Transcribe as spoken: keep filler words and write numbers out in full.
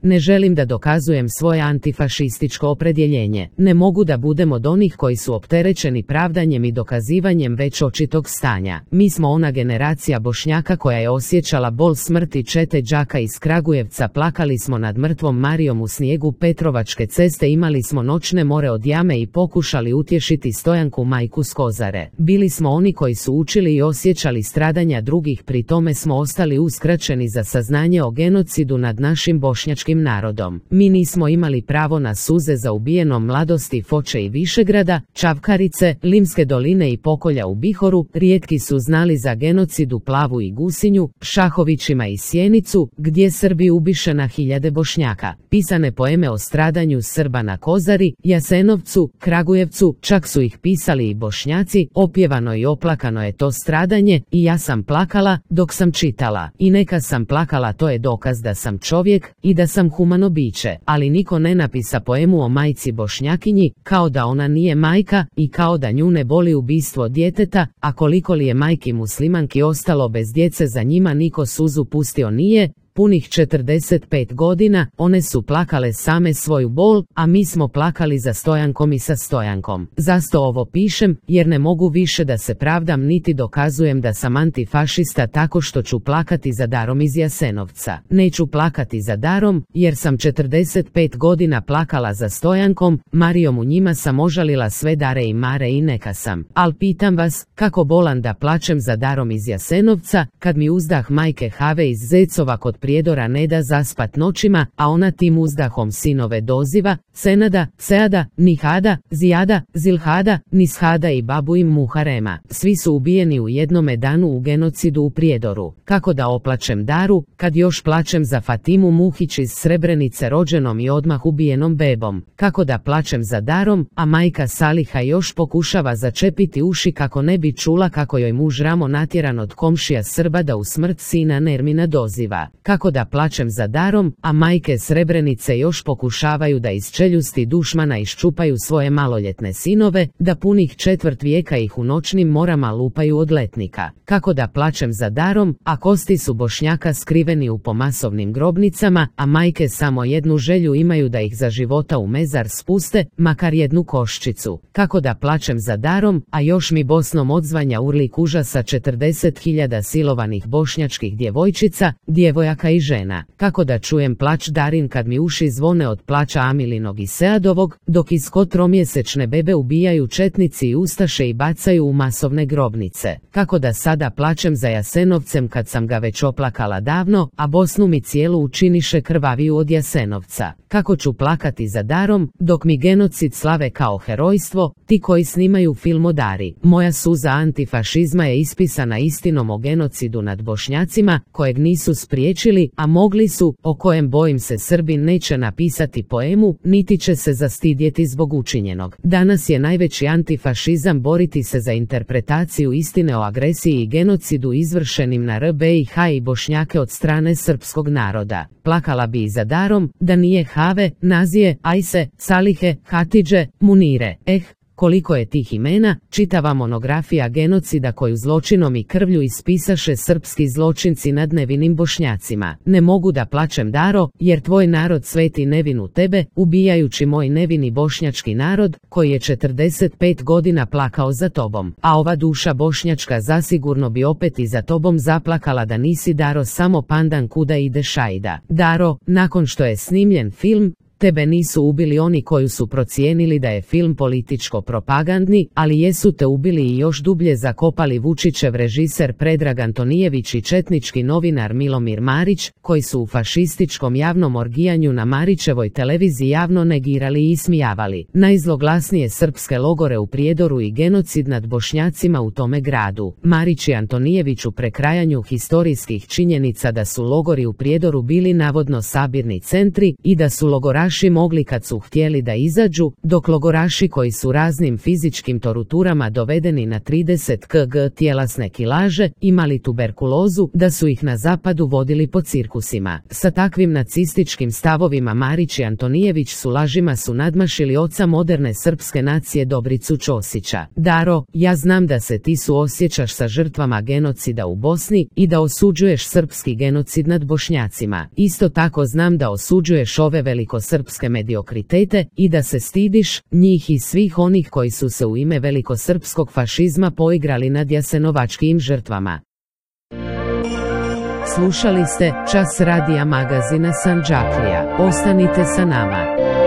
Ne želim da dokazujem svoje antifašističko opredjeljenje. Ne mogu da budem od onih koji su opterećeni pravdanjem i dokazivanjem već očitog stanja. Mi smo ona generacija Bošnjaka koja je osjećala bol smrti čete đaka iz Kragujevca, plakali smo nad mrtvom Marijom u snijegu Petrovačke ceste, imali smo noćne more od jame i pokušali utješiti Stojanku majku s Kozare. Bili smo oni koji su učili i osjećali stradanja drugih, pri tome smo ostali uskraćeni za saznanje o genocidu nad našim bošnjačkim narodom. Mi nismo imali pravo na suze za ubijenom mladosti Foče i Višegrada, Čavkarice, Limske doline i pokolja u Bihoru, rijetki su znali za genocid u Plavu i Gusinju, Šahovićima i Sjenicu, gdje Srbi ubiše na hiljade Bošnjaka. Pisane poeme o stradanju Srba na Kozari, Jasenovcu, Kragujevcu, čak su ih pisali i Bošnjaci, opjevano i oplakano je to stradanje, i ja sam plakala dok sam čitala. I neka sam plakala, to je dokaz da sam čovjek i da sam humano biće, ali niko ne napisa poemu o majci Bošnjakinji, kao da ona nije majka i kao da nju ne boli ubistvo djeteta, a koliko li je majki muslimanki ostalo bez djece, za njima niko suzu pustio nije. Punih četrdeset pet godina, one su plakale same svoju bol, a mi smo plakali za Stojankom i sa Stojankom. Zašto ovo pišem? Jer ne mogu više da se pravdam niti dokazujem da sam antifašista tako što ću plakati za Darom iz Jasenovca. Neću plakati za Darom, jer sam četrdeset pet godina plakala za Stojankom, Marijom, u njima sam ožalila sve Dare i Mare i neka sam. Al pitam vas, kako bolan da plačem za Darom iz Jasenovca, kad mi uzdah majke Have iz Zecova kod Prijedora ne da zaspat noćima, a ona tim uzdahom sinove doziva, Senada, Seada, Nihada, Zijada, Zilhada, Nishada i babu im Muharema. Svi su ubijeni u jednome danu u genocidu u Prijedoru. Kako da oplačem Daru, kad još plačem za Fatimu Muhić iz Srebrenice, rođenom i odmah ubijenom bebom? Kako da plačem za Darom, a majka Saliha još pokušava začepiti uši kako ne bi čula kako joj muž Ramo natjeran od komšija Srba da u smrt sina Nermina doziva? Kako da plačem za Darom, a majke Srebrenice još pokušavaju da iz čeljusti dušmana iščupaju svoje maloljetne sinove, da punih četvrt vijeka ih u noćnim morama lupaju od letnika? Kako da plačem za Darom, a kosti su Bošnjaka skriveni u pomasovnim grobnicama, a majke samo jednu želju imaju, da ih za života u mezar spuste, makar jednu koščicu? Kako da plačem za Darom, a još mi Bosnom odzvanja urlik užasa četrdeset hiljada silovanih bošnjačkih djevojčica, djevojaka i žena? Kako da čujem plać Darin kad mi uši zvone od plaća Amilinog i Seadovog, dok iz tromjesečne bebe ubijaju četnici i ustaše i bacaju u masovne grobnice? Kako da sada plačem za Jasenovcem kad sam ga već oplakala davno, a Bosnu mi cijelu učiniše krvaviju od Jasenovca? Kako ću plakati za Darom, dok mi genocid slave kao herojstvo ti koji snimaju film o Dari? Moja suza antifašizma je ispisana istinom o genocidu nad Bošnjacima, kojeg nisu spriječili, a mogli su, o kojem bojim se Srbin neće napisati poemu, niti će se zastidjeti zbog učinjenog. Danas je najveći antifašizam boriti se za interpretaciju istine o agresiji i genocidu izvršenim na R B I H i Bošnjake od strane srpskog naroda. Plakala bi i za Darom, da nije Have, Nazije, Ajse, Salihe, Hatidže, Munire. Eh, koliko je tih imena, čitava monografija genocida koju zločinom i krvlju ispisaše srpski zločinci nad nevinim Bošnjacima. Ne mogu da plačem Daro, jer tvoj narod sveti nevinu tebe, ubijajući moj nevini bošnjački narod, koji je četrdeset pet godina plakao za tobom. A ova duša bošnjačka zasigurno bi opet i za tobom zaplakala da nisi Daro samo pandan kuda ide šajda. Daro, nakon što je snimljen film, tebe nisu ubili oni koji su procijenili da je film političko-propagandni, ali jesu te ubili i još dublje zakopali Vučićev režiser Predrag Antonijević i četnički novinar Milomir Marić, koji su u fašističkom javnom orgijanju na Marićevoj televiziji javno negirali i ismijavali najzloglasnije srpske logore u Prijedoru i genocid nad Bošnjacima u tome gradu. Marić i Antonijević u prekrajanju historijskih činjenica da su logori u Prijedoru bili navodno sabirni centri i da su logoraši udbaši mogli kad su htjeli da izađu, dok logoraši koji su raznim fizičkim torturama dovedeni na trideset kilograma tjelesne kilaže, imali tuberkulozu, da su ih na zapadu vodili po cirkusima. Sa takvim nacističkim stavovima Marić i Antonijević su lažima su nadmašili oca moderne srpske nacije Dobricu Ćosića. Daro, ja znam da se ti suosjećaš sa žrtvama genocida u Bosni i da osuđuješ srpski genocid nad Bošnjacima. Isto tako znam da osuđuješ ove velikosrpske mediokritete i da se stidiš njih i svih onih koji su se u ime velikosrpskog fašizma poigrali nad jasenovačkim žrtvama. Slušali ste Čas radija magazina Sandžaklija. Ostanite sa nama.